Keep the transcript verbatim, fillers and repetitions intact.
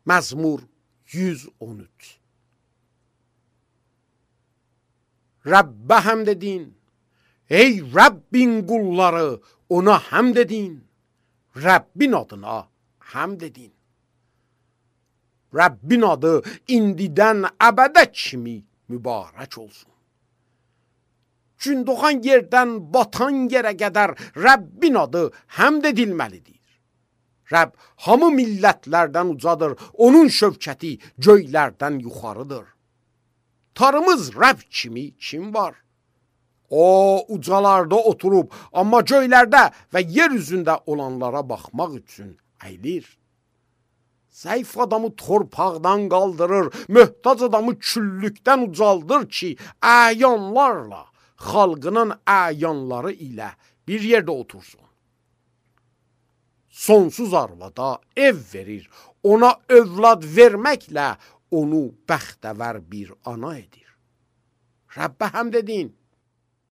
Məzmur yüz on üç. Rəbbə həmd edin. Ey Rəbbin qulları, ona həmd edin. Rəbbin adına həmd edin. Rəbbin adı indidən əbədə kimi mübarək olsun. Gün doğan yerdən batan yerə qədər Rəbbin adı həmd edilməlidir. Rəbb hamı millətlərdən ucadır, onun şövkəti göylərdən yuxarıdır. Tarımız Rəbb kimi kim var? O ucalarda oturub, amma göylərdə və yer üzündə olanlara baxmaq üçün əyilir. Zəif adamı torpaqdan qaldırır, möhtac adamı küllükdən ucaldır ki, əyanlarla, xalqının əyanları ilə bir yerdə otursun. Sonsuz arvada ev verir, ona övlad verməklə onu bəxtəvər bir ana edir. Rəbbə həmd edin.